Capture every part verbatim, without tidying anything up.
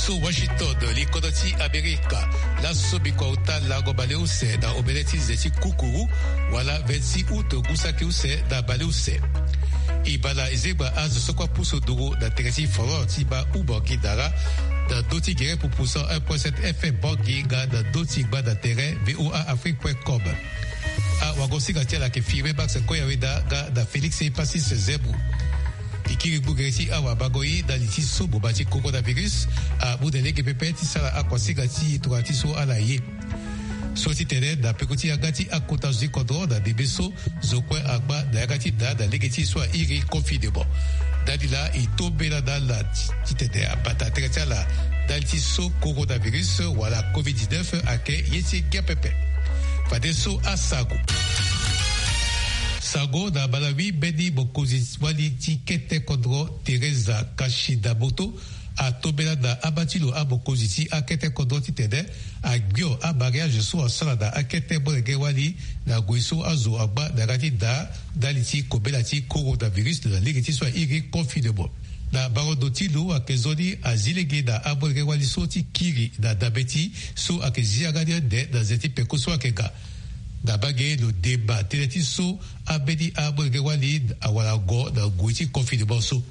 Washington, li kodro ti Amerika. Laso bikua uta lango baleuse na obele ti ze ti kukuru, wala vingt-six août ngu saki use na baleuse. E bala e zengba azo so kue apusu nduru na tere ti folklore ti baa Oumangui Dara, na ndö ti gere pupu cent un point sept F M Bangui nga na ndö ti gbanda tere V O A Afrique point com. Awagosinga ti ala ayeke Firmin Max Koyaweda nga na Félix Epacis Zemou. E kiri gbu gere ti awabango ye na li ti so boma ti coronavirus amu na lege pepe ti sara akuasinga ti e tongana ti so ala ye. So ti tene na peko ti yanga ti akota zo ti kodro na ndembe so, zo kue angba na yanga ti da na lege ti so a iri confinement. Ndali laa e tombela na ala ti tene abata tere ti ala ndali ti so coronavirus wala covid dix-neuf ayeke ye ti ngia pepe. Fadeso asango. Sango na Malawi, mbeni mokonzi wali ti kete kodro Teresa Kashidamoto atombela na aba ti lo amokonzi ti akete kodro titene agbio amariage so asara na akete molenge wali na ngoi so azo angba na yanga ti da ndali ti kobela ti coronavirus na lege ti so a iri confinement. Na barondo ti lo ayeke zo ni azi lege na amolenge wali so ti kiri na dabe ti so ayeke zi yanga ni ande na ze ti peko so ayeke ga. Na mbage lo deba tënë ti so ambeni amolenge wali awara go na ngoi ti confinement so.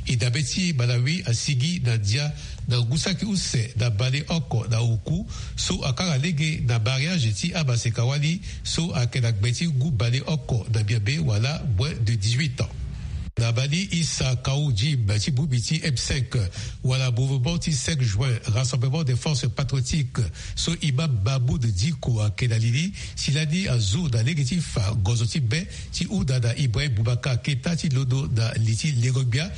E dabe ti Malawi asigi na ndia na ngu saki use na baleoko na oku so akanga lege na mariage ti amaseka wali so ayeke na gbe ti ngu baleoko na miabe wala moins de dix-huit ans. Na bali Issa Kaou Jim ti bongbi ti M cinq wala mouvement ti cinq juin, Rassemblement des Forces Patriotiques, so imam Mahmoud Diko ayeke na li ni, si lani azu na lege ti fa gozo ti be ti hunda na Ibrahim Boubacar Keita ti londo na li ti lengo-gbia.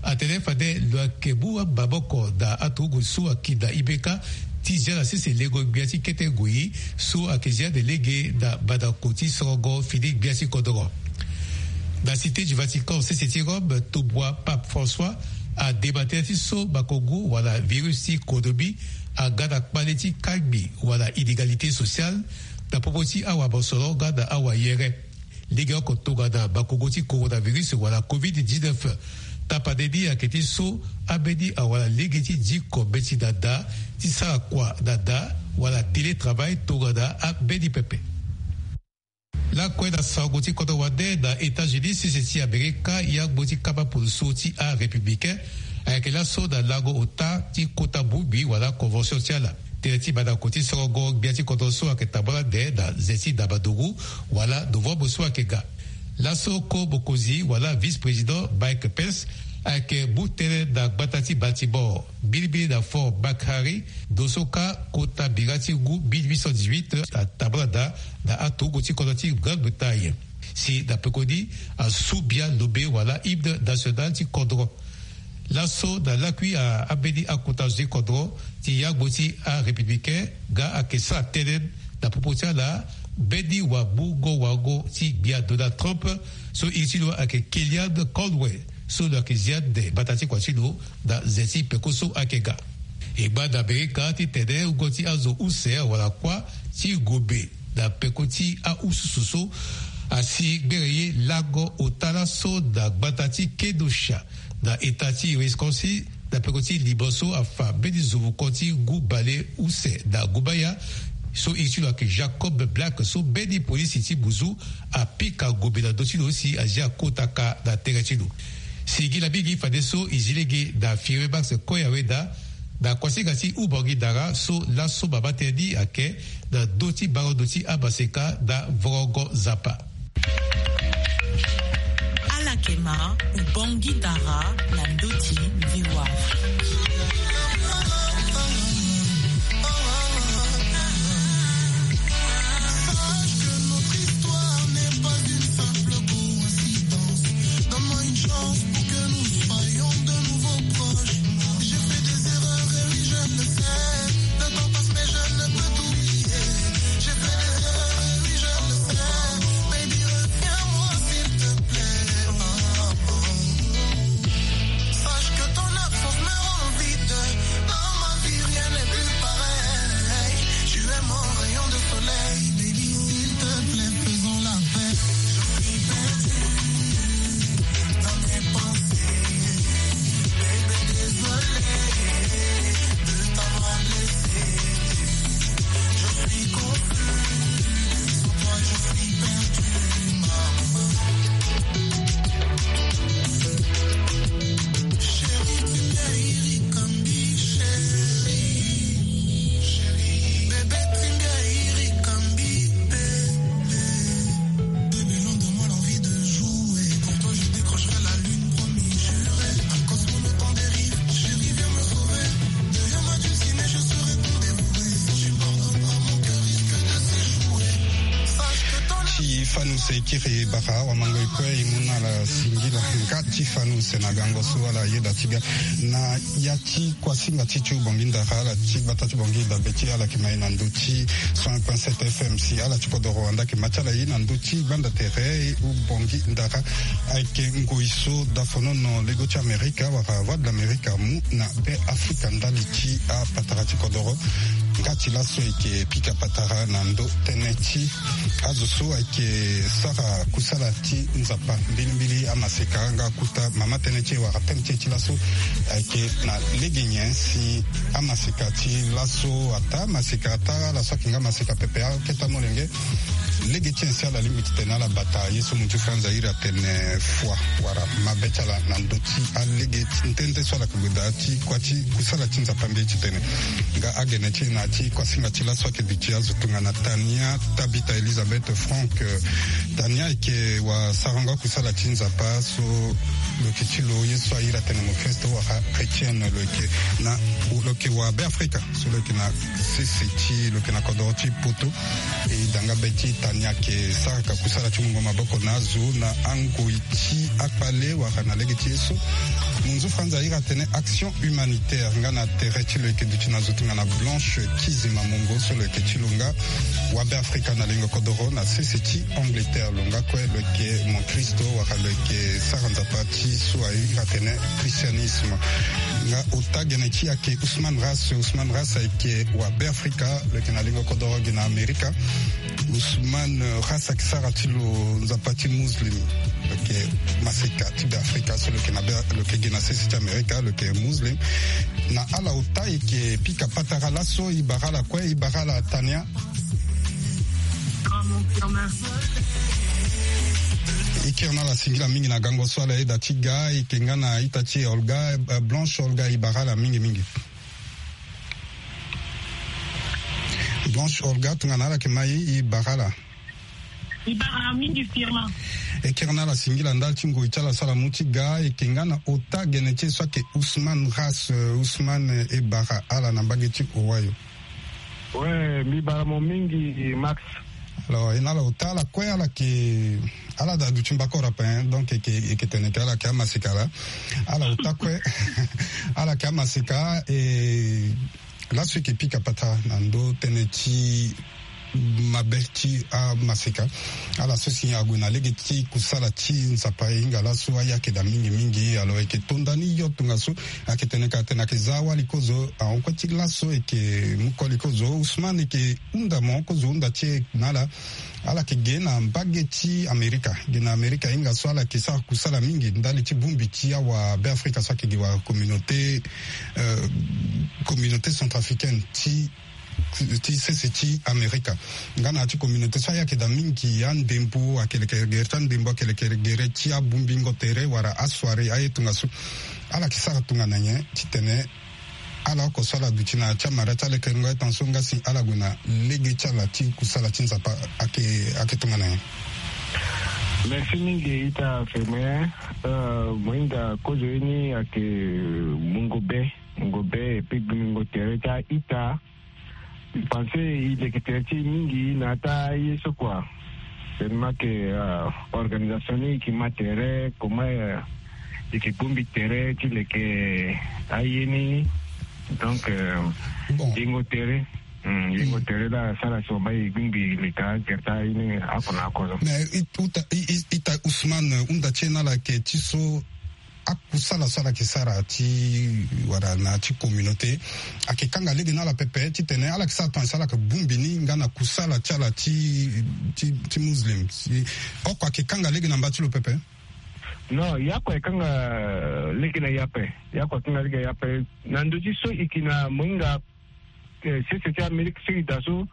Atene fade lo yeke mu amaboko na aturugu so ayeke na I B K ti zia na sese lengo-gbia ti kete ngoi so ayeke zia ande lege na badako ti sorongo fini gbia ti kodoro. Na Cité du Vatican, sese ti Rome, tombwa Pape François adema tënë ti so makongo wala virus ti konomi aga na kpale ti kangbi wala inégalité sociale na popo ti awamosoro nga na awayere. Lege oko tongana makongo ti coronavirus wala covid dix-neuf. Tapande ni ayeke ti so ambeni awara lege ti diko mbeti na da, ti sara kua na da, wala télétravail tongana ambeni pepe. Lakue na sango ti kodro wande, na États-Unis, sese ti Amerika, yangbo ti kamba poloso ti arépublicain ayeke laso na lango ota ti kota bongbi wala convention ti ala. Tënë ti mandako ti sorongo gbia ti kodro so ayeke tambula ande na ze ti ndabanduru wala novembre so ayeke ga. Laso ko mokonzi wala vice-président Mike Pence ayeke mu tënë na gbata ti Baltimore, mbilimbili na Fort McHenry, ndo so kâ kota bira ti ngu mille huit cent dix-huit atambula daa na aturugu ti kodro ti Grande-Bretagne. Si na pekoni asu bia lobe wala hymne national ti kodro. Laso na lakui a ambeni akota zo ti kodro ti yangbo ti arépublicain nga ayeke sara tënë na popo ti ala mbeni wamungo wango ti gbia Donald Trump, so iri ti lo ayeke Kellyanne Conway, so lo yeke zia ande mbata ti kua ti lo na ze ti peko so ayeke ga. E ngba na Amerika titene wungo ti azo use wala kuâ ti gobe na peko ti ahususu so asi gbere ye lango ota laso na gbata ti Kenosha na eta ti Wisconsin, na peko ti libo so afa mbeni zovoko ti ngu bale use na ngumaya, so iri ti lo ayeke Jacob Blake, so mbeni polisi ti buzu apika gobe na ndö ti lo si azia kota ka na tere ti lo. Singila mingi fadeso e zi lege na Firmin Max Koyaweda na kuasinga ti Oumangui Dara, so laso mama tënë ni ayeke na ndö ti barondo ti amaseka na Vorongo Nzapa. Ala yeke ma Oumangui Dara na ndö ti V O A. Sache que notre histoire n'est pas une simple coïncidence. Donne-moi une chance pour que nous soyons de nouveau proches. J'ai fait des erreurs et oui, je le sais. Le temps passe, mais je ne peux t'oublier. J'ai fait des erreurs et oui, je le sais. Baby, reviens-moi, s'il te plaît. Oh, oh. Sache que ton absence me rend vide. Dans ma vie, rien n'est plus pareil. Tu es mon rayon de soleil. Baby, s'il te plaît, faisons la paix. Je suis perdu dans mes pensées. Baby, Fanu se kiri bara wa mango e kue e mu na ala singila nga ti fanu se na gango so ala yeda ti ga na ya ti kuasinga ti ti bongi ndara ala ti bata ti bongi dabe ti ala ke mai na ndo ti cent un point sept F M si ala ti kodoro wanda ke ma ti ala ye na ndo ti gbanda tere u bongi ndara. Ayeke ngoi so dafonono lego ti amerika wala voix de l'amerika mu na be afrika ndali ti apatara ti kodoro. Nga ti laso eke pika patara na ndo tënë ti azo so ayeke sara kusala ti nzapa mbilimbili amaseka nga kuta mama tënë ti e wala tënë ti e ti laso. Ayeke na lege nyen si amaseka ti laso ata maseka ata ala so ayeke nga maseka pepe aketa molenge. Lege ti nyen si ala lingbi titene ala bata ye so mu ti franza iri atene foi wala mabe ti ala na ndö ti alege ti nde nde so ala yeke gue daa ti kua ti kusala ti nzapa mbi ye titene nga agene ti e na ya ti kuasinga ti laso ayeke duti azo tongana tania tabita elizabeth frank. Tania ayeke wasarango akusala ti nzapa so lo yeke ti lo ye so airi atene mokristo wala chrétienne lo yeke na lo yeke wa be afrika so lo yeke na sese ti lo yeke na kodoro ti poto. E da nga be ti tania ayeke sara ka kusala ti mungo maboko na azo na angoi ti akpale wala na lege ti ye so. Munzu franza airi atene action humanitaire nga na tere ti lo yeke duti na zo tongana blanche kizima mongo so lo yeke ti lo nga wa be afrika na lingo kodoro na sese ti angleterre lo nga kue lo yeke mokristo wala lo yeke sara nzapa ti so airi atene christianisme. Nga ota gene ti ayeke ousmane ras ousmane ras ayeke wa be afrika lo yeke na lingo kodoro gi na amerika. Ousmane ras ayeke sara ti lo nzapa ti muslim lo yeke maseka ti be afrika so lo yeke na be lo yeke gi na sese ti amerika lo yeke muslim. Na ala ota e yeke pika patara laso e bara ala kue e bara ala tania. E kiri na ala singila mingi na gango so ala yeda ti ga e yeke nga na ita ti e olga blanche olga e bara ala mingi mingi. Blanche olga tongana ala yeke mai e bara ala. E bara mingi firma. E kiri na ala singila ndali ti ngoi ti ala so ala mu ti ga e yeke nga na ota gene ti e so ayeke ousmane ras ousmane e bara ala na mbage ti owayo. We mbi bara mo mingi max. Alors e na ala ota ala kue ala yeke ala da duti mbako rape hein donc e yeke tene ke ala yeke amaseka la. Ala ota kue ala yeke amaseka e laso e yeke pika pata na ndo tënë ti mabe ti amaseka. Ala so si ague na lege ti kusala ti nzapa e hinga laso ayeke daa mingi mingi alors e yeke tonda ni yo tongaso. Ayeke tene ka atene ayeke za awali kozo ahon kue ti laso e yeke mu koli kozo ousmane e yeke hunda mo kozo hunda ti e na ala. Ala yeke ge na mbage ti amerika ge na amerika hinga so ala yeke sara kusala mingi ndali ti bongbi ti awa be afrika so ayeke ge wala communauté communauté centrafricaine ti ti sese ti amerika. Nga na ya ti communauté so ayeke daa mingi andembo ayeke leke gere ti andembo ayeke leke gere ti abongbingo tere wala asoire aye tongaso. Ala yeke sara tongana nyen titene ala oko so ala duti na ya ti amara ti alekerengo aye tongaso nga si ala gue na lege ti ala ti kusala ti nzapa ayeke ayeke tongana nyen? Merci mingi ita feme. Mohinga kozo ye ni ayeke mungo be mungo be epi gbingo tere ti a-ita. Mbi pense e leke tere ti e mingi na ata ye so kua. Tellement que organisation ni e yeke ma tere comment e yeke bongbi tere ti leke aye ni. Donc yengo tere yengo tere la asara si wamba e bongbi leke agere ti aye ni oko na oko so. Mais ita ita ousmane hunda ti e na ala yeke ti so akusala so ala yeke sara ti wala na ya ti communauté ayeke kanga lege na ala pepe titene ala yeke sara tonga si ala yeke bongbi ni nga na kusala ti ala ti ti ti muslim si oko ayeke kanga lege na mba ti lo pepe. Non ya oko ayeke kanga lege na ya ape. Ya oko ayeke kanga lege na ya ape na ndö ti so e yeke na mohinga sese ti amerike so e daa so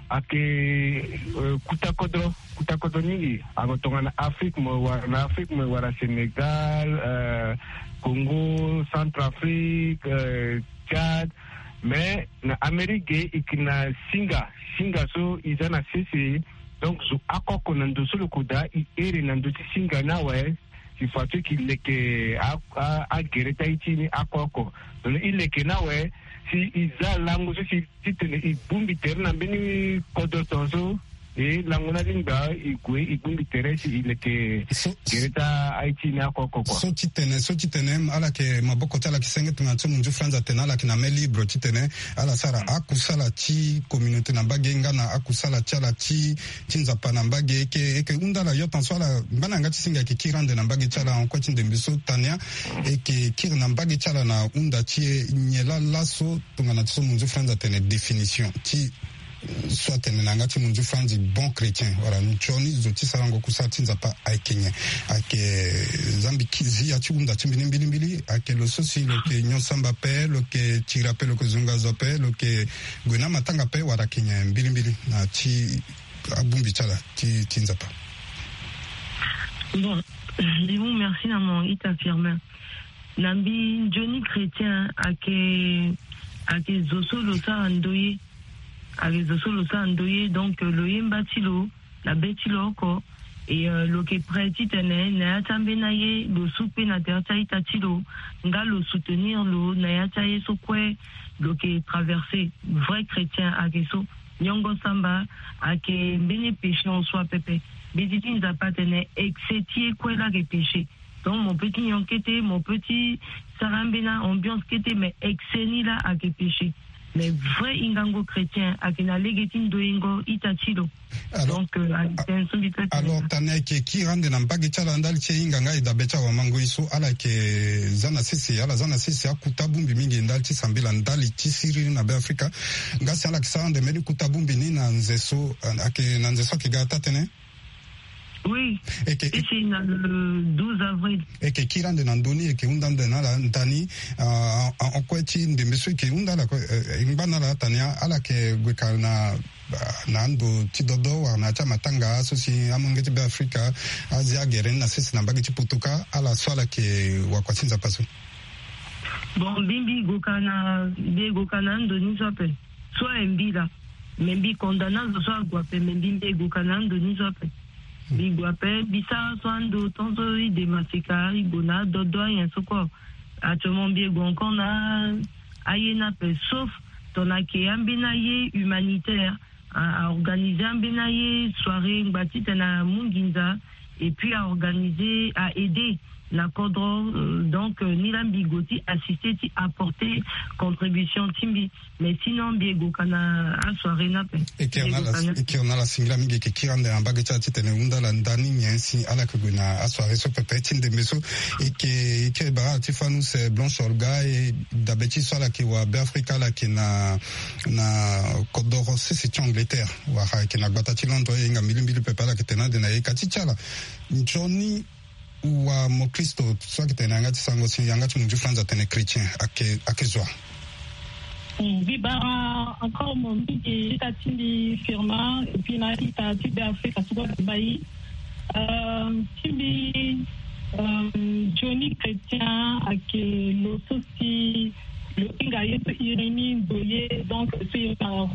ayeke kuta kodro kuta kodro mingi. Ako tongana afrike mo wara na afrike mo wara sénégal, congo, centrafrique, tchad. Mais na amerike e yeke na singa singa so e za na sese. Donc zo akoko na ndo so lo ko daa e ere na ndo ti singa ni awe. Si façon e yeke leke agere ti aye ti e ni ako oko. Tongana e leke ni awe si e za lango so si titene e bongbi tere na mbeni kodro tongaso. E lango na lingba e gue e bongbi tere si e leke gere ta aye ti e ni oko oko kua. So ti tene so ti tene ala yeke maboko ti ala yeke senge tongana so munzu franzi atene ala yeke na main libre ti tene ala sara akusala ti communauté na mbage nga na akusala ti ala ti ti nzapa na mbage. E yeke e yeke hunda ala yo tan so ala ngba na yanga ti singa e yeke kiri ande na mbage ti ala en kue ti ndembe so tania e yeke kiri na mbage ti ala na hunda ti e nyen laa laso tongana ti so munzu franzi atene définition ti so atene na yanga ti munzu franzi bon chrétien wala nzoni zo ti sarango kusala ti nzapa ayeke nyen? Ayeke zambi kizi ya ti hunda ti mbi ni mbilimbili ayeke lo so si lo yeke nyon samba ape lo yeke tiri ape lo yeke zonga zo ape lo yeke gue na amatanga ape wala ayeke nyen mbilimbili na ti abongbi ti ala ti ti nzapa? Bon, Limon, merci na mo ita Firmin. Na mbi nzoni chrétien ayeke ayeke zo so lo sara ndoye. Ayeke zo so lo sara ndoye donc lo yemba ti lo na be ti lo oko. E lo yeke prêt titene na ya ti ambeni aye lo su kpe na tere ti a-ita ti lo nga lo soutenir lo na ya ti aye so kue lo yeke traverser. Vrai chrétien ayeke so. Nyongo samba ayeke mbeni péché en soi pepe. Mbeti ti nzapa atene excès ti ye kue laa ayeke péché. Donc mo peut ti nyon kete, mo peut ti sara ambeni ambiance kete, mais excès ni laa ayeke péché. Mais vrai hingango chrétien ayeke na lege ti ndoyengo ita ti lo. Donc euh, ayeke tene so mbi peut ti tene. Alors tane ayeke kiri ande na mbage ti ala ndali ti e hinga nga e dabe ti awamangoi so ala yeke za na sese ala za na sese akuta bongbi mingi ndali ti sambela ndali ti siriri na be afrika. Nga si ala yeke sara ande mbeni kuta bongbi ni na nze so ayeke na nze so ayeke ga taa tënë. Oui. Eke, eke na le douze avril. Eke kiri ande na ndö ni eke hunda ande na ala ndani. Ahon kue ti ndembe so eke hunda ala kue e ngba na ala atani ala yeke gue ka na na ando ti dodo wala na ya ti amatanga so si amolenge ti be afrika azi agere ni na sese na mbage ti poto kâ ala so ala yeke wakua ti nzapa so. Bon mbi mbi go ka na mbi e go ka na ando ni so ape. So aye mbi laa. Me mbi condamne azo so ague ape me mbi mbi e go ka na ando ni so ape. Mbi gue ape mbi sara so ando tant so ide maseka e gue na adodo anyen so kue. Actuellement mbi e gue encore na aye ni ape sauf tongana ayeke ambeni aye humanitaire. A organiser ambeni aye soirée ngba titene amu nginza. Et puis a organiser a aider na kodro. Donc ni laa mbi go ti assister ti apporter contribution ti mbi. Mais sinon mbi e go ka na asoirée ni ape. E kiri na ala singila mingi e yeke kiri ande na mbage ti ala titene e hunda ala ndani nyen si ala yeke gue na asoirée so pepe ti ndembe so. E yeke e kiri bara ala ti fanu se blanche olga e dabe ti so ala yeke wa be afrika ala yeke na na kodoro sese ti angleterre wala ayeke na gbata ti londres e hinga mbilimbili pepe ala yeke tene ande na ye ka ti ti ala. Nzoni wa mokristo so ayeke tene na yanga ti sango si yanga ti munzu franzi atene chrétien ayeke zo wa? Mbi bara encore mo mingi ita ti mbi firma et puis na ita ti be afrika so kue ayeke bai. Ti mbi nzoni chrétien ayeke lo so si lo hinga ye so iri ni ndo ye donc so iri na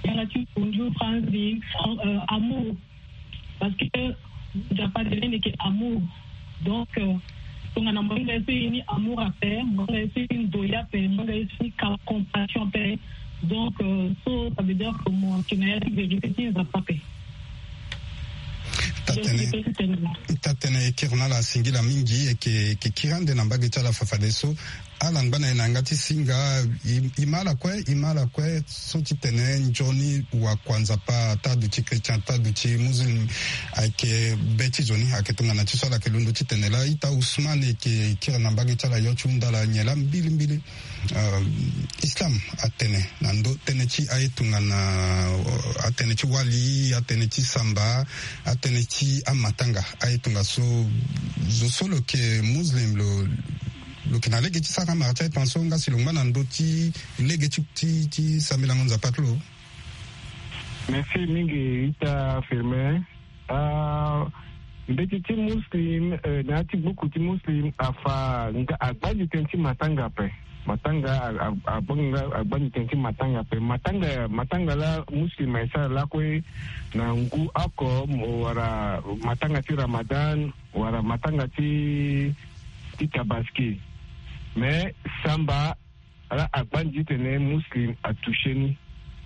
yanga ti munzu franzi amour. Parce que nzapa de lene yeke amour. Donc tongana mo hinga ye so iri ni amour ape mo hinga ye so iri ni ndo ye ape mo hinga ye so iri ni compassion ape. Donc so ça veut dire que mo yeke na ya ti vérité ti nzapa ape. Tatene e kiri na ala singila mingi e yeke kiri ande na mbage ti ala fafadeso. Ala ngba na e na yanga ti singa. E ma ala kue e ma ala kue so ti tene nzoni wakua nzapa ata duti chrétien ata duti muslim. Ayeke be ti zo ni ayeke tongana ti so ala yeke londo ti tene laa ita usman e yeke kiri na mbage ti ala yo ti hunda ala nyen laa mbilimbili. Islam atene na ndö tënë ti aye tongana atene ti wali atene ti samba atene ti amatanga aye tongaso zo so lo yeke muslim lo lo yeke na lege ti sara mara ti aye tongaso nga si lo ngba na ndö ti lege ti ti ti sambelango nzapa ti lo. Merci mingi ita firmin. Mbeti ti muslim na ya ti buku ti muslim afa nga agbandi tënë ti matanga ape. Matanga agbanga nga agbandi tënë ti matanga ape matanga matanga laa muslim aye sara lakue na ngu oko wala matanga ti ramadan wala matanga ti ti tabaski. Mais samba ala agbandi titene muslim atoucher ni.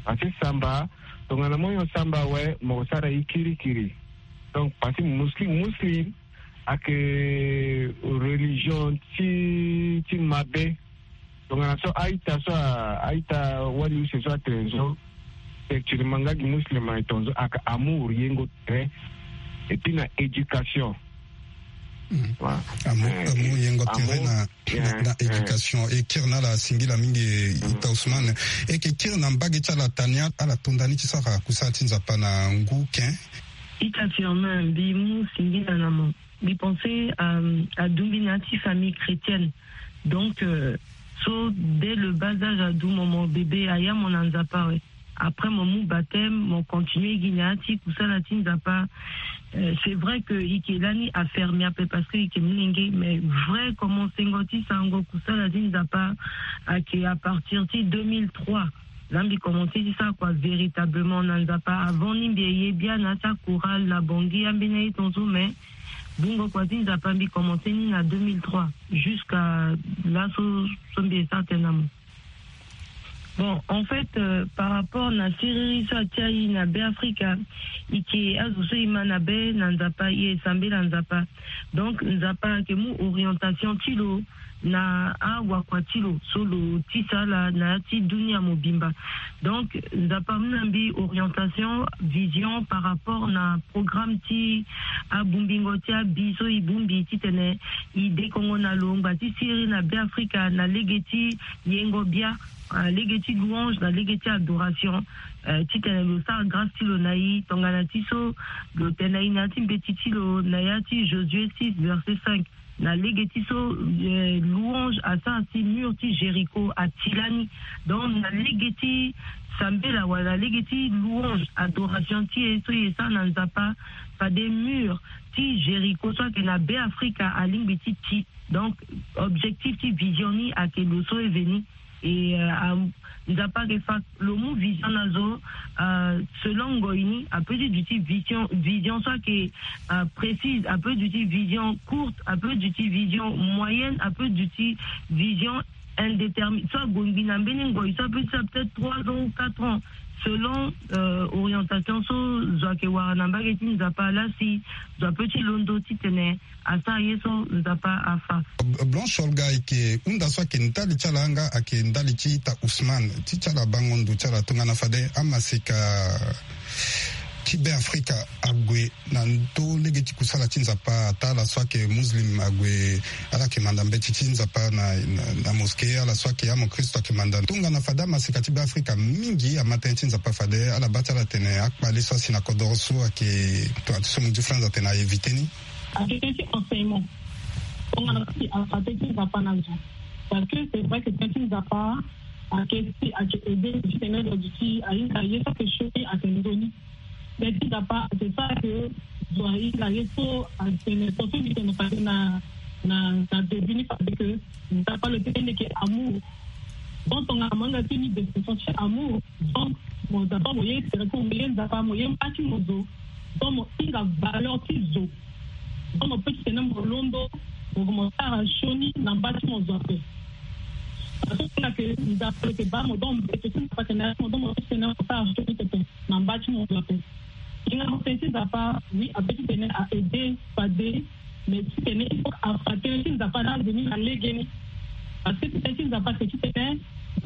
Parce que samba Tongana mo nyon samba awe, mo sara ye kirikiri. Donc parce que muslim, muslim ayeke religion ti ti mabe. Tongana so a-ita so a a-ita wali use so atene so, actuellement nga gi muslim aye tongaso ayeke amour, yengo tere, et puis na éducation. Amour, amour yengo tere na na éducation. E kiri na ala singila mingi, ita Ousmane. E yeke kiri na mbage ti ala tani ala tonda ni ti sara kusala ti Nzapa na ngu ken. Ita Firmin, mbi mu singila na mo. Mbi pense, euh, adumbi na ya ti famille chrétienne. Donc, euh, so dès le bas âge, adu mo, mo bébé, aya mo na Nzapa awe. Après mo mu baptême, mo continue gi na ya ti kusala ti Nzapa. Euh, c'est vrai que e yeke lani afermé ape parce que e yeke molenge, mais vrai commencengo ti sarango kusala ti Nzapa ayeke à partir ti deux mille trois. Laa mbi commencé ti sara kua véritablement na Nzapa. Avant ni mbi ye bia na ya ti achorale na Bangui, ambeni aye tongaso, mais bungo kua ti Nzapa mbi commencé ni na deux mille trois jusqu'à laso so mbi ye sara tënë na mo. Bon, en fait, euh, par rapport na siriri so atia e na Beafrika, e yeke azo so e ma na be na Nzapa, e sambela Nzapa. Donc Nzapa ayeke mu orientation ti lo na awakua ti lo so lo tisa ala na ya ti dunia mobimba. Donc Nzapa amu na mbi orientation, vision par rapport na programme ti abungbingo ti abi so e bungbi titene e dekongo na lo ngba ti siriri na Beafrika na lege ti yengo bia, euh, lege ti louange na lege ti adoration, euh, titene lo sara grâce ti lo na e tongana ti so lo tene na e na ya ti mbeti ti lo na ya ti Josué six verset cinq. Na lege ti so, euh, louange asara si mur ti Jéricho ati lani. Donc na lege ti sambela wala na lege ti louange, adoration ti e so e sara na Nzapa, fade mur ti Jéricho so ayeke na Beafrika alingbi ti ti. Donc objectif ti vision ni ayeke lo so e veni. Et, euh, am-, Nzapa ayeke fa lo mu vision na zo, euh, selon ngoi ni, apeut ti duti vision, vision so ayeke, euh, précise, apeut duti vision courte, apeut duti vision moyenne, apeut duti vision indéterminée. So ague ngbi na mbeni ngoi so apeut ti sara peut-être trois ans ou quatre ans, selon, euh, orientation so zo ayeke wara na mbage ti Nzapa. Laa si zo apeut ti londo titene asara ye so Nzapa afa. Blanche Olga, e yeke hunda so ayeke ndali ti ala nga ayeke ndali ti ita Ousmane ti ti ala bango ndo ti ala tongana fade amaseka ti Beafrika ague na ndö lege ti kusala ti Nzapa. Ata ala so ayeke muslim ague, ala yeke manda mbeti ti Nzapa na, na, na mosquée, ala so ayeke amokristo ayeke manda. Tongana fade amaseka ti Beafrika mingi ama tënë ti Nzapa, fade ala baa ti ala tene akpale so asi na kodoro so ayeke, tongana ti so mo di France atene a éviter ni. Ayeke tënë ti enseignement. Tongana si afa tënë ti Nzapa na zo. Parce que c'est vrai que tënë ti Nzapa ayeke si ayeke aider ti tene lo duti ahinga ye so ayeke sioni ayeke nzoni. Tënë ti Nzapa ayeke sara ke zo ahinga ye so atene so so mbi tene fade na, na, na début ni fade ke Nzapa lo tene ni yeke amour. Donc tongana mo hinga ti ni description ti amour, donc mo Nzapa mo ye tere ko mo ye Nzapa mo ye mba ti mo zo. Donc mo hinga valeur ti zo. Donc mo peut ti tene mo londo mo, mo sara sioni na mba ti mo zo ape. Parce que na ke Nzapa lo yeke baa mo, donc mbeto ti Nzapa ayeke na ya ti mo, donc mo peut ti tene mo sara sioni pepe na mba ti mo zo ape. Hinga mo tënë ti Nzapa, oui, apeut ti tene a aider fade, mais ti tene il faut afa tënë ti Nzapa na azo ni na legeni. Parce que tënë ti Nzapa ayeke ti tene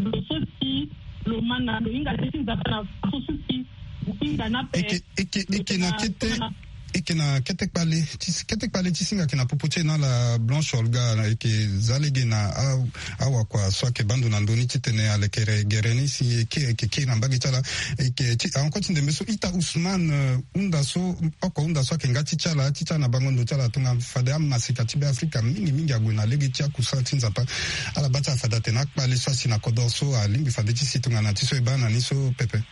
lo so si lo ma na lo hinga tënë ti Nzapa na faso so si lo hinga ni ape. Eke, eke, eke na kete, eke na kete kpale ti, kete kpale ti singa ayeke na popo ti e na ala Blanche Olga, eke za lege na a, awakua so ayeke baa ndo na ndö ni titene alekere gere ni si eke, eke kiri na mbage ti ala. Eke ti, encore ti ndembe so ita Ousmane, euh, hunda so, oko hunda so ayeke nga ti ti ala, ti ti ala na bango ndo ti ala tongana fade amaseka ti Beafrika mingi mingi ague na lege ti akusala ti Nzapa. Ala baa ti ala fade atene akpale so asi na kodoro so alingbi fade ti si tongana ti so e baa na ni so pepe.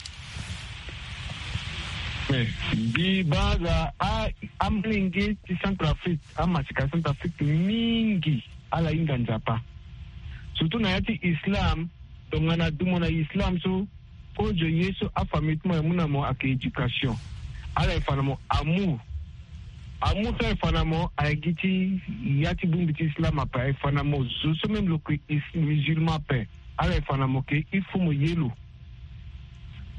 Eh, mbi baa aza a, amolenge ti Centrafrique, amaseka Centrafrique mingi ala hinga Nzapa. Surtout na ya ti islam, tongana du mo na islam so, kozo ye so afamille ti mo aye mu na mo ayeke éducation. Ala ye fa na mo amour. Amour so aye fa na mo aye gi ti ya ti bongbi ti islam ape, aye fa na mo zo so même lo yeke is-, musulman ape. Ala ye fa na mo ke il faut mo ye lo.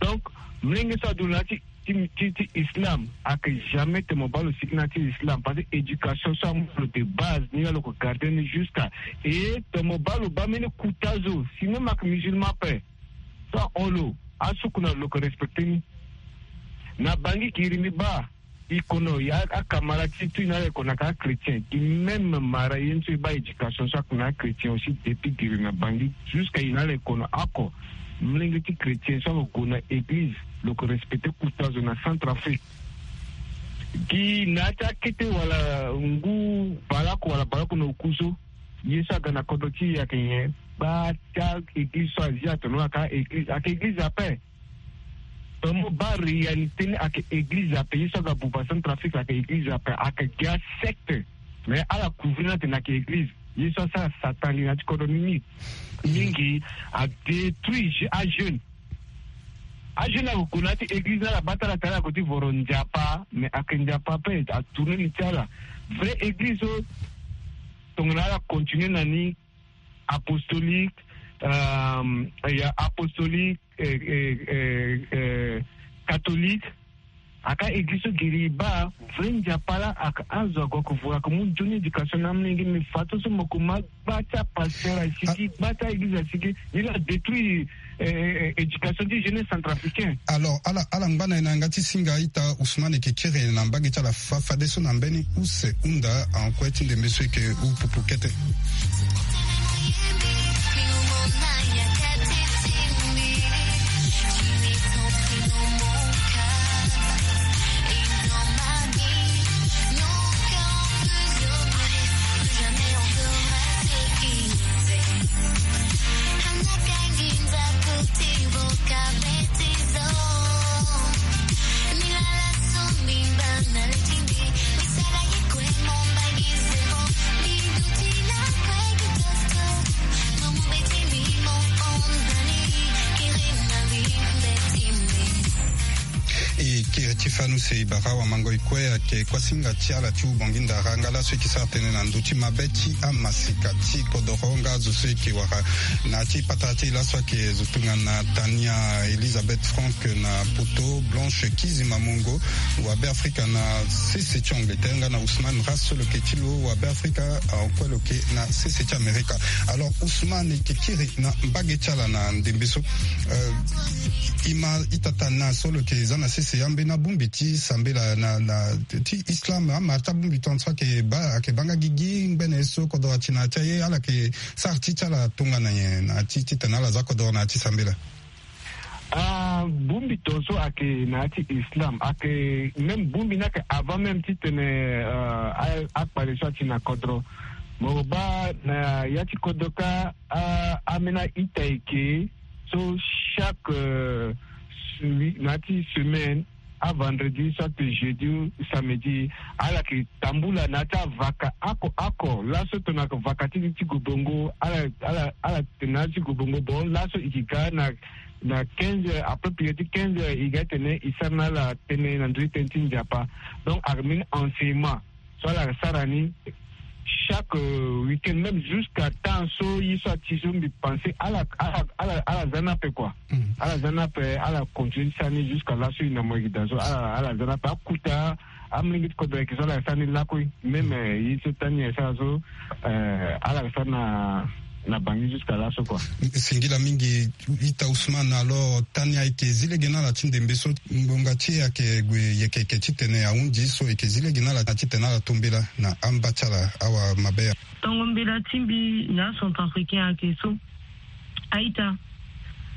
Donc, mlenge so adu na ti ti ti ti islam, ake jamais te mo baa lo sigi na ti islam, parce que éducation so amu lo de base ni, ya lo ko garde ni jusqu'à, e te mo baa lo baa mbeni kuta zo, si même ake musulman pe so ahon lo, asuku na lo, lo ko respecte ni. Na bangi giri ni baa, i kono ya akamara ti tu i na ala i kono aka chrétien, i même mara ye ni so i baa éducation so ake na chrétien aussi, depuis giri na bangi jusqu'à i na ala i kono oko. Mlenge ti chrétien so ake gue na église, lo ko respecte kuta zo na Centrafrique. Gi na ya ti akete wala ngu baleoko wala baleoko na oku so, ye so aga na kodro ti e ake nyen? Baa ti a église so azi atono aka église, ake église ape. Tomo baa réalité ni ake église ape, ye so aga buba Centrafrique ake église ape, ake gi asecte. Mais ala couvrir ni atene ake église, ye so asara satan li na ya ti kodro ni ni. Mingi adétruit je- ajeune. Ajeune ako gue na ya ti église ni, ala baa ti ala tara ako ti voro Nzapa, mais ake Nzapa ape atourne li ti ala. Vrai église so tongana ala continue na ni, apostolique, euh, ya apostolique, euh, euh, euh, euh, catholique. Aka église so giri i baa, vrai Nzapa laa aka azo ago ake vuru ake mu nzoni éducation na amolenge, mais fadeso mo ko ma gba ti apasteur asigi, gba ti a-église asigi, ni laa adétruit, euh, euh, éducation ti jeunesse centrafricain. Alors ala ala ngba na e na yanga ti singa ita Ousmane, e ke kiri na mbage ti ala fa- fadeso na mbeni use hunda en kue ti ndembe so e ke huu pupu kete. E kiri ti fanu se e bara awamango e kue ayeke kuasinga ti ala ti hubongi ndara nga laso e ke sara tënë na ndö ti mabe ti amasika ti kodoro nga azo so e ke wara na ya ti patara ti e laso ayeke zo tongana Tania Elisabeth Frank na poto, Blanche Kizima Mongo wabe Afrika na sese ti Angleterre nga na Ousmane Ras so lo yeke ti lo wabe Afrika, en kue lo yeke na sese ti Amerika. Alors Ousmane, e yeke kiri na mbage ti ala na ndembe so. Euh, e ma ita Tania so lo yeke za na sese ambeni abongbi ti sambela na na ti islam, amara ti abongbi tongaso ayeke baa ayeke baa nga gigi ngbene so kodoro ati na ya ti aye, ala yeke sara ti ti ala tongana nyen na ya ti titene ala za kodoro na ya ti sambela? Ah, bongbi tongaso ayeke na ya ti islam, ayeke même bongbi ni ayeke avant même titene, euh, a- akpale so ati na kodro. Mo baa na ya ti kodro kâ, ah, ambeni a-ita eke so chaque, euh, semi- na ya ti semaine, avendredi soit jeudi ou samedi, ala yeke tambula na ya ti avaka oko oko. Laso tongana vaka ti ti gobongo, ala ala ala tene na ya ti gobongo, bon laso e ke ga na na quinze heures, après prière ti quinze heures e ga tene e sara na ala tënë na ndö ti tënë ti Nzapa. Donc ayeke mbeni enseignement so ala sara ni chaque, euh, week-end, même jusqu'à temps so ye so ati so mbi pensé ala ala ala ala za ni ape quoi. Ala za ni ape, ala continue ti sara ni jusqu'à laso e na mo yeke daa so, ala ala za ni ape. Akuta amolenge ti kodro ayeke so ala yeke sara ni lakue. Même, euh, ye so Tania e sara so, euh, ala yeke sara na na bangi jusqu'à laso quoi. Singila mingi ita Ousmane. Alors Tania, e yeke zi lege na ala ti ndembe so ngbonga ti e ayeke gue yeke yeke titene ahundi so, e yeke zi lege na ala na titene ala to mbela na amba ti ala awa mabe. Tongo mbela ti mbi na acentrafricain ayeke so, a-ita,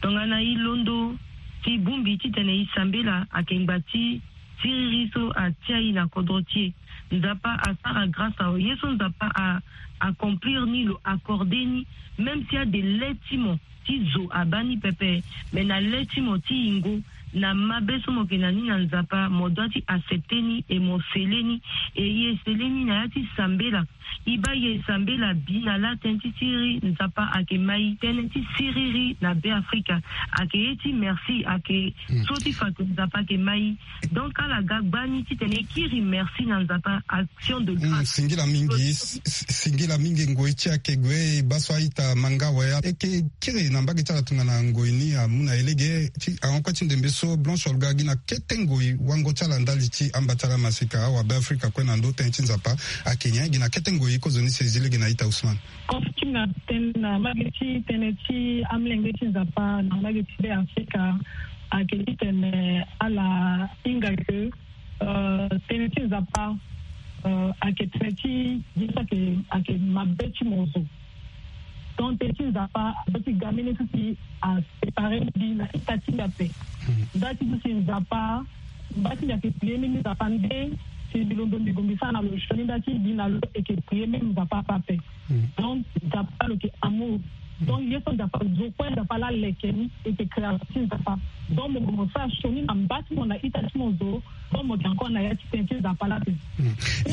tongana e londo ti bongbi titene e sambela, ayeke ngba ti siriri so atia e na kodro ti e. Nzapa asara grâce awe. Ye so Nzapa a accomplir ni, lo accordé ni, même si ade le ti mo ti zo abaa ni pepe, mais na le ti mo ti yingo, na mabe so mo yeke na ni na Nzapa, mo doit ti accepter ni et mo sele ni. Et e sele ni na ya ti sambela. E baa e sambela bi na laa tënë ti siriri, Nzapa ayeke ma e. Tënë ti siriri na Be Afrika ayeke ye ti merci, ayeke so ti fa ke Nzapa ayeke ma e. Donc ala ga gbani titene e kiri merci na Nzapa, action de grâce. Singila mingi, singila mingi. Ngoi ti e ayeke gue, e baa so a-ita ma nga awe. E yeke kiri na mbage ti ala tongana ngoi ni amu na e lege ti ahon kue ti ndembe so. So Blanche Olga, gi na kete ngoi wango ti ala ndali ti amba ti ala masika awabe Afrika kue na ndö tënë ti Nzapa ayeke nyen? Gi na kete ngoi kozoni si e zi lege na ita Ousmane. Kozo ti na tënë na mbage ti tënë ti amolenge ti Nzapa na mbage ti be Afrika ayeke titene ala hinga ke, euh, tënë ti Nzapa, euh, ayeke tënë ti gi so ayeke, ayeke mabe ti mo zo. Donc tënë ti Nzapa azo ti ga mbeni so si asépare mbi na ita ti mbi ape. Nda ti so si Nzapa, mba ti mbi ayeke prier même Nzapa nde si mbi londo mbi gue mbi sara na lo sioni, nda ti mbi na lo eke prier même Nzapa ape ape. Donc Nzapa lo yeke amour. Donc ye so Nzapa zo kue, Nzapa la leke ni, eke création ti Nzapa. Donc mo gue mo sara sioni na mba ti mo na ita ti mo zo. Donc mo yeke encore na ya ti tënë ti Nzapa la ape.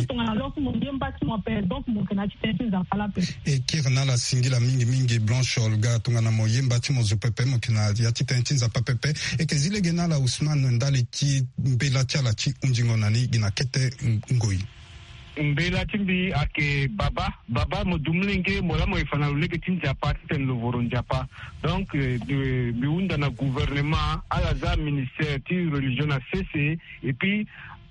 Tongana lo so mo ye mba ti mo ape, donc mo yeke na ya ti tënë ti Nzapa la ape. E kiri na ala singila mingi mingi Blanche Olga, tongana mo ye mba ti mo zo pepe, mo yeke na ya ti tënë ti Nzapa pepe. E yeke zi lege na ala Ousmane ndali ti mbela ti ala ti hundingo na ni gi na kete ngoi. Mbela ti mbi ayeke baba. Baba, mo du molenge, mo laa mo ye fa na lo lege ti Nzapa titene lo voro Nzapa. Donc euh, de- mbi hunda na gouvernement, ala za ministère ti religion na sese. Et puis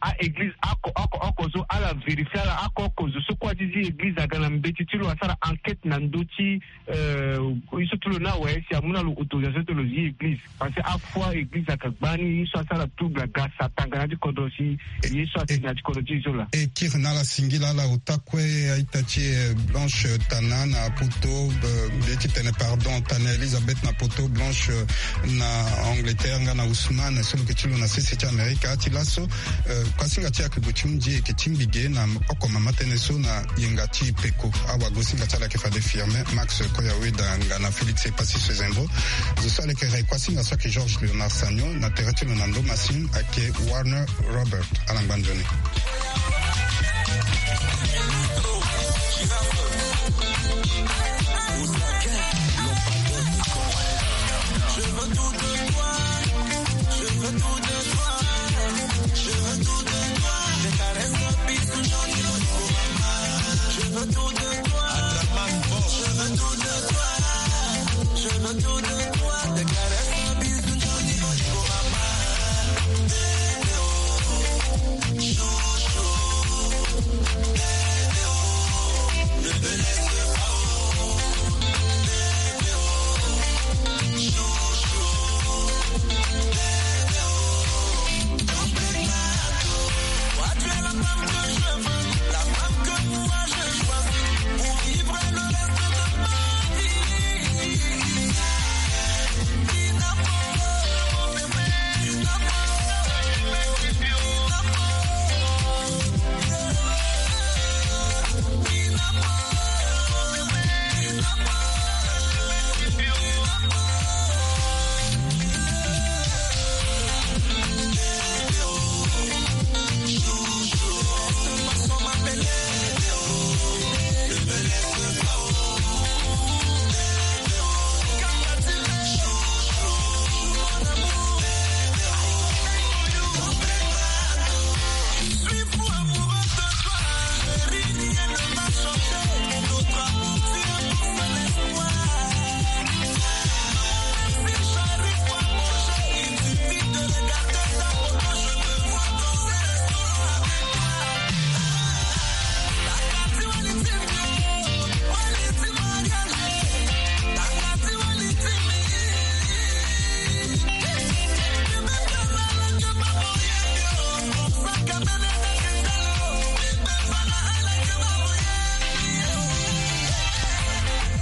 a-église oko oko oko so ala vérifier ala oko oko zo so kue azi zi église aga na mbeti ti lo asara enquête na ndö ti euh, ye so ti lo ni awe si amu na lo autorisation ti lo zi église. Parce que afoi église ayeke gbani ye so asara trouble aga satan aga na ya ti kodro si ye so atene na ya ti kodro ti e so laa. E kiri na ala singila ala ota kue a-ita ti e, euh, Blanche Tana na poto, euh, mbi ye ti tene pardon, Tana Elisabeth na poto, Blanche, euh, na Angleterre nga na Ousmane so lo yeke ti lo na sese ti Amerika. Ti laso, euh, kuasinga ti e ayeke gue ti hunzi, e yeke tingbi ge na oko mama tënë so na yenga ti peko. Awagosinga ti ala ayeke fade Firmin Max Koyaweda nga na Félix Epassi Sezembo. Zo so ala yeke re kuasinga so ayeke Georges Léonard Sagnon, na tere ti lo na ndo masini ayeke Warner Robert. Ala ngba nzoni.